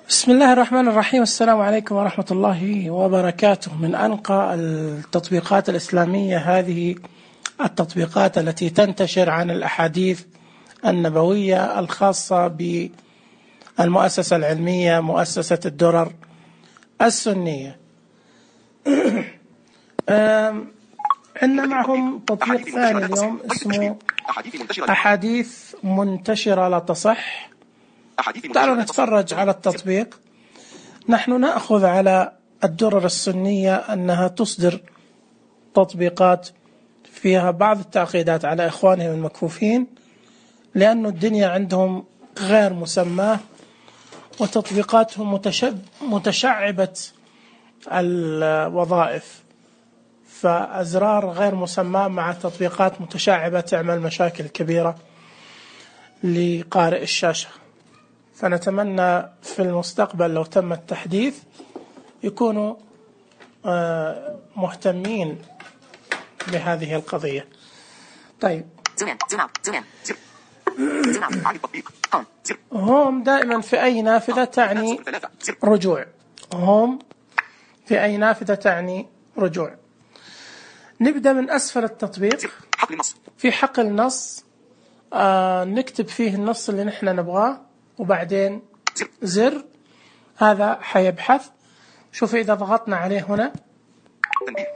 بسم الله الرحمن الرحيم. السلام عليكم ورحمة الله وبركاته. من أنقى التطبيقات الإسلامية هذه التطبيقات التي تنتشر عن الأحاديث النبوية الخاصة بالمؤسسة العلمية مؤسسة الدرر السنية. عندنا معهم تطبيق ثاني اليوم اسمه أحاديث منتشرة لا تصح. تعالوا نتفرج على التطبيق. نحن نأخذ على الدرر السنية أنها تصدر تطبيقات فيها بعض التعقيدات على إخوانهم المكفوفين، لأن الدنيا عندهم غير مسماة وتطبيقاتهم متشعبة الوظائف، فأزرار غير مسماة مع تطبيقات متشعبة تعمل مشاكل كبيرة لقارئ الشاشة. فنتمنى في المستقبل لو تم التحديث يكونوا مهتمين بهذه القضية. طيب، هوم دائما في أي نافذة تعني رجوع. هوم في أي نافذة تعني رجوع. نبدأ من أسفل التطبيق في حقل النص، نكتب فيه النص اللي نحن نبغاه وبعدين زر، هذا حيبحث. شوف إذا ضغطنا عليه هنا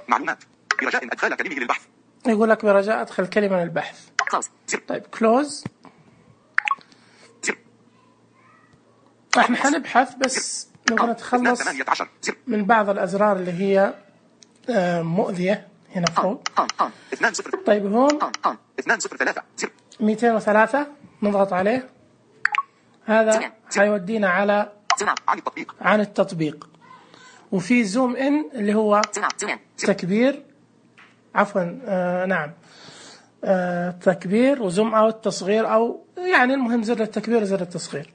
معلومات برجاء أدخال كلمة للبحث، يقول لك برجاء أدخل كلمة للبحث. طيب كلوز. احنا حنبحث بس نبغى نتخلص من بعض الأزرار اللي هي مؤذية هنا فوق. طيب هون 203 نضغط عليه، هذا هيودينا على عن التطبيق. وفي زوم إن اللي هو تكبير، عفوا نعم تكبير، وزوم أوت تصغير، أو يعني المهم زر التكبير وزر التصغير.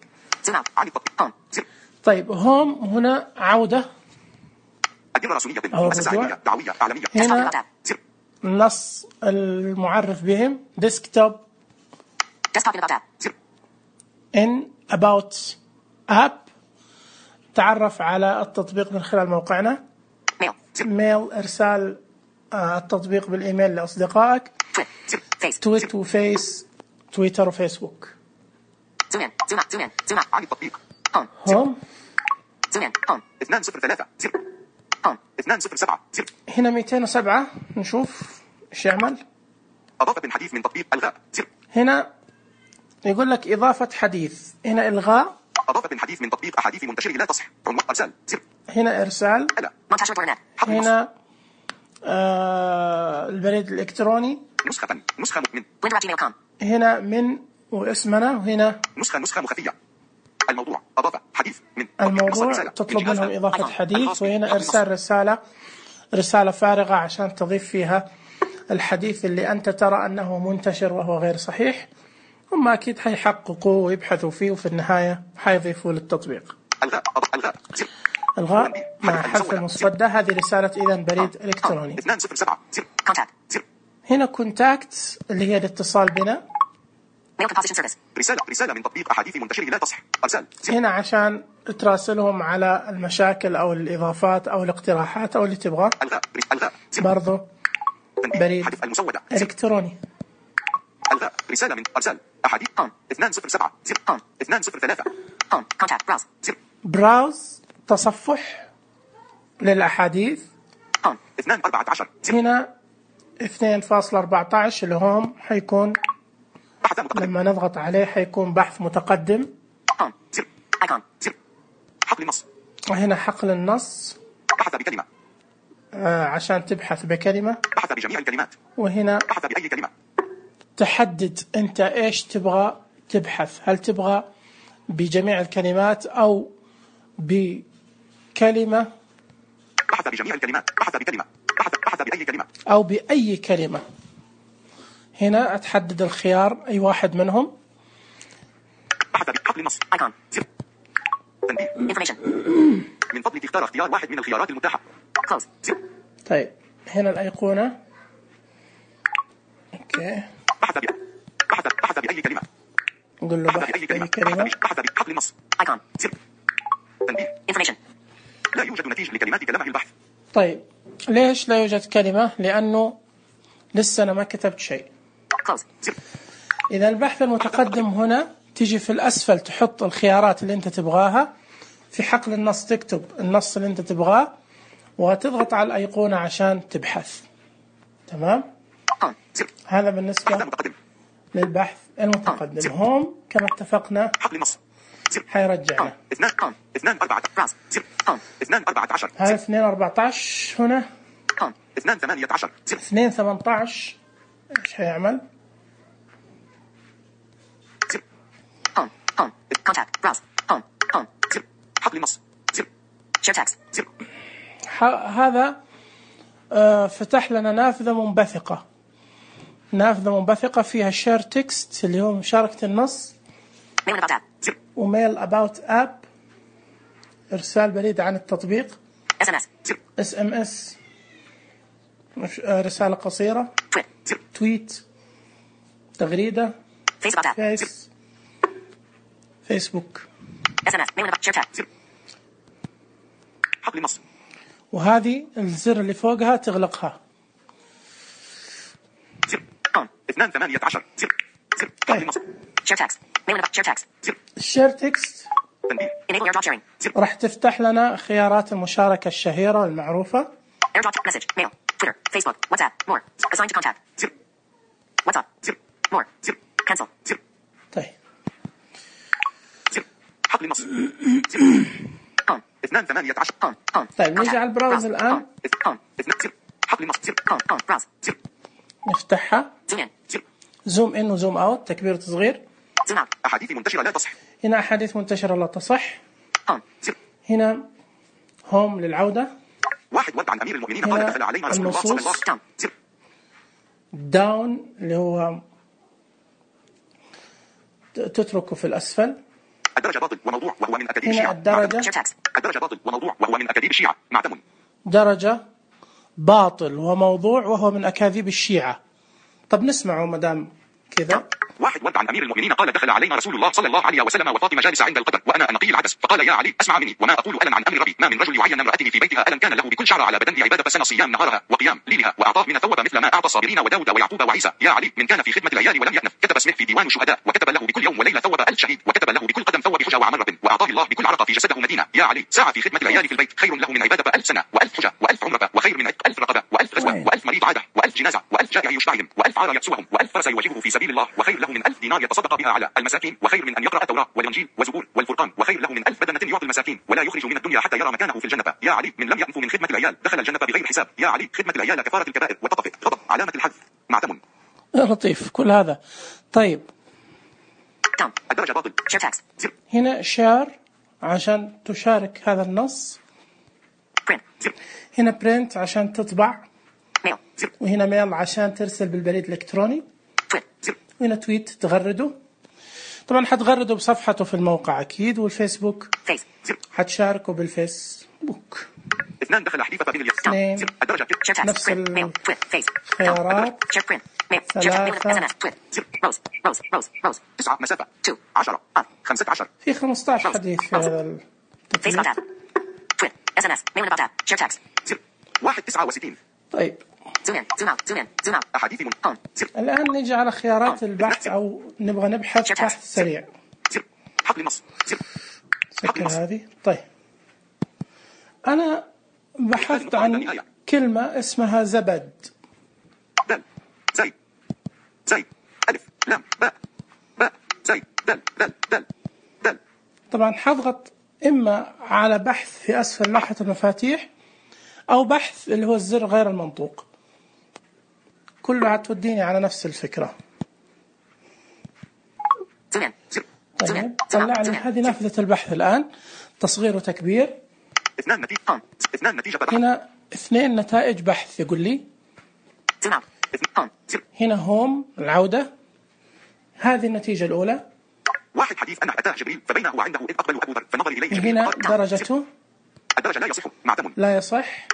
طيب هوم هنا عودة أو الرجوع. هنا النص المعرف بهم ديسكتوب in about app، تعرف على التطبيق من خلال موقعنا. ميل إرسال التطبيق بالإيميل لأصدقائك. تويت وفيس، تويتر وفيسبوك. هوم 207 هنا 207 نشوف ايش يعمل. أضافة الحديث من تطبيق ألغاء. هنا يقول لك إضافة حديث، هنا إلغاء. أضافة الحديث من تطبيق أحاديث منتشرة لا تصح. إرسال. هنا إرسال. هنا البريد الإلكتروني. نسخة من. هنا من واسمنا، وهنا نسخة مخفية. الموضوع أضافة حديث من الموضوع تطلب منهم إضافة حديث. وهنا إرسال رسالة فارغة عشان تضيف فيها الحديث اللي أنت ترى أنه منتشر وهو غير صحيح. هم أكيد حيحققوا ويبحثوا فيه، وفي النهاية حيضيفوا للتطبيق. الغاء مع حذف المصدة. هذه رسالة إذن بريد إلكتروني. هنا كونتاكت اللي هي الاتصال بنا. رسالة من تطبيق أحاديث منتشرة لا تصح. إرسال. هنا عشان تراسلهم على المشاكل أو الإضافات أو الاقتراحات أو اللي تبغاه. برضو بريد إلكتروني. رسالة من إرسال أحاديث 207 203 براوز تصفح للأحاديث. 214 هنا 2.14 اللي هم حيكون لما نضغط عليه حيكون بحث متقدم. حقل النص. وهنا حقل النص. بحث بكلمة. عشان تبحث بكلمة. بحث بجميع الكلمات. وهنا بحث بأي كلمة. تحدد أنت إيش تبغى تبحث، هل تبغى بجميع الكلمات أو بكلمة. بحث بجميع الكلمات. بحث بكلمة. بحث بأي كلمة. أو بأي كلمة. هنا أتحدد الخيار أي واحد منهم. بحث بحقل النص. تنبيه. من فضلك اختار واحد من الخيارات المتاحة. طيب هنا الأيقونة. أوكي. بحث بأي كلمة. نقول له بحث بأي كلمة. بحث بحقل النص. تنبيه. Information. لا يوجد نتيجة لكلماتك لمح البحث. طيب ليش لا يوجد كلمة؟ لأنه لسه أنا ما كتبت شيء. Close. إذا البحث المتقدم هنا تيجي في الأسفل تحط الخيارات اللي أنت تبغاها، في حقل النص تكتب النص اللي أنت تبغاه وتضغط على الأيقونة عشان تبحث. تمام؟ هذا بالنسبة للبحث المتقدم. هوم كما اتفقنا حقل النص حيرجعنا 2 هذا 2 14 هنا 2 18 2 18 ايش حيعمل؟ Contact. Browse. Home. حقل النص. Share text. هذا فتح لنا نافذة منبثقة فيها شير تكست اللي هو مشاركة النص، وميل أباوت أب إرسال بريد عن التطبيق، SMS رسالة قصيرة، تويت، تغريدة، فيسبوك، حقل النص. وهذه الزر اللي فوقها تغلقها. 2 18 حقل النص. الشير تكست راح تفتح لنا خيارات المشاركة الشهيرة والمعروفة. AirDrop message mail Twitter Facebook WhatsApp more assigned to contact WhatsApp more cancel. طيب حقل النص. 2 18 طيب نيجي على البراوز الآن حقل النص. نفتحها. زوم إن وزوم أوت، تكبير وتصغير. أحاديث منتشرة لا تصح. هنا أحاديث منتشرة لا تصح. هنا هوم للعودة. واحد ورد عن أمير المؤمنين قال دخل علينا رسول الله صلى الله عليه وسلم. داون اللي هو تتركه في الأسفل. الدرجة باطل وموضوع وهو من أكاذيب هنا الشيعة. الدرجة باطل وموضوع وهو من أكاذيب الشيعة. معتم. درجة باطل وموضوع وهو من أكاذيب الشيعة. طب نسمعه مدام كذا. واحد ورد عن أمير المؤمنين قال دخل علينا رسول الله صلى الله عليه وسلم وفاطمة جالسة عند القدر وأنا أنقي العدس فقال يا علي أسمع مني وما أقول ألم عن أمر ربي ما من رجل يعين امرأته في بيتها ألم كان له بكل شعر على بدنه عبادة سنة صيام نهارها وقيام ليلها وأعطاه من الثواب مثل ما أعطى الصابرين وداود ويعقوب وعيسى يا علي من كان في خدمة العيال ولم يأنف كتب اسمه في ديوان الشهداء وكتب له بكل يوم وليلة ثواب 1000 شهيد وكتب له بكل قدم ثواب حجة وعمر رب وأعطاه الله بكل عرق في جسده مدينة يا علي ساعة في خدمة العيال في البيت خير له من عبادة 1000 سنة و1000 حجة و1000 عمرة وخير من 1000 رقبة و1000 غزوة و1000 مريض عادة و1000 جنازة و1000 جائع يشبعهم و1000 عار يكسوهم و1000 فرس يواجهه في سبيل الله وخير له من 1000 دينار يتصدق بها على المساكين وخير من أن يقرأ التوراة والإنجيل والزبور والفرقان وخير له من 1000 بدنة يعطي المساكين ولا يخرج من الدنيا حتى يرى مكانه في الجنة يا علي من لم يأنف من خدمة العيال دخل الجنة بغير حساب يا علي خدمة العيال كفارة الكبائر والتطفئ غضب علامة الحذف معتم. لطيف كل هذا. طيب الدرجة باطل. هنا شير عشان تشارك هذا النص. هنا برنت عشان تطبع. وهنا ميل عشان ترسل بالبريد الإلكتروني. وهنا تويت تغرده. طبعا حتغرده بصفحته في الموقع أكيد. والفيسبوك حتشاركه بالفيسبوك. 2 دخل حديثة بين اليسار. الدرجة نفس الخيارات. 3 9 مسافة 10 15 في 15 حديث في هذا التطبيق. 1 69. طيب أحاديث الآن نيجي على خيارات البحث أو نبغى نبحث بحث سريع. حقل النص. سكر هذه. طيب أنا بحثت عن كلمة اسمها زبد. دل زي ألف لام باء زي دل. طبعا حضغط إما على بحث في أسفل لوحة المفاتيح أو بحث اللي هو الزر غير المنطوق. كلها توديني على نفس الفكرة. طيب طلع لي هذه نافذة البحث الآن تصغير وتكبير. 2 نتيجة هنا 2 نتائج بحث يقول لي. هنا هوم العودة. هذه النتيجة الأولى. 1 حديث أنه أتاه جبريل فبينه وعنده إذ أقبل أبو ذر فنظر إليه. هنا درجته. الدرجة لا يصح معتم. لا يصح.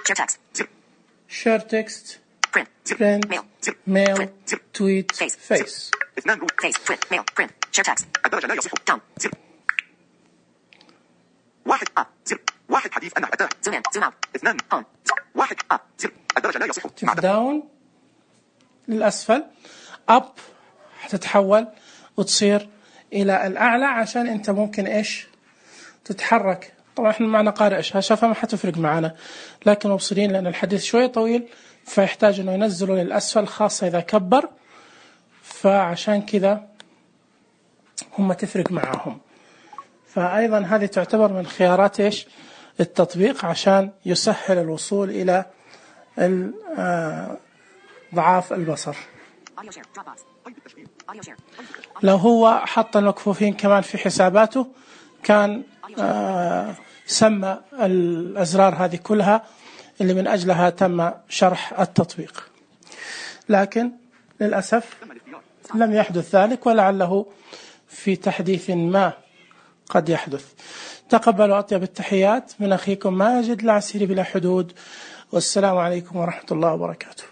شير تكست. برنت ميل تويت فيس. 2 روت الدرجة لا يصح. 1 الحديث أنه أتاه. 2 1 زر الدرجة لا يصح. داون للأسفل، أب حتتحول وتصير إلى الأعلى عشان أنت ممكن إيش تتحرك. طبعا إحنا معنا قارئ شاشة فما حتفرق معنا، لكن مبصرين لأن الحديث شوي طويل فيحتاج إنه ينزله للأسفل خاصة إذا كبر، فعشان كذا هم تفرق معهم. فأيضا هذه تعتبر من خيارات إيش التطبيق عشان يسهل الوصول إلى ضعاف البصر. لو هو حط المكفوفين كمان في حساباته كان سمى الأزرار هذه كلها اللي من أجلها تم شرح التطبيق، لكن للأسف لم يحدث ذلك، ولعله في تحديث ما قد يحدث. تقبلوا أطيب التحيات من أخيكم ماجد العسيري بلا حدود، والسلام عليكم ورحمة الله وبركاته.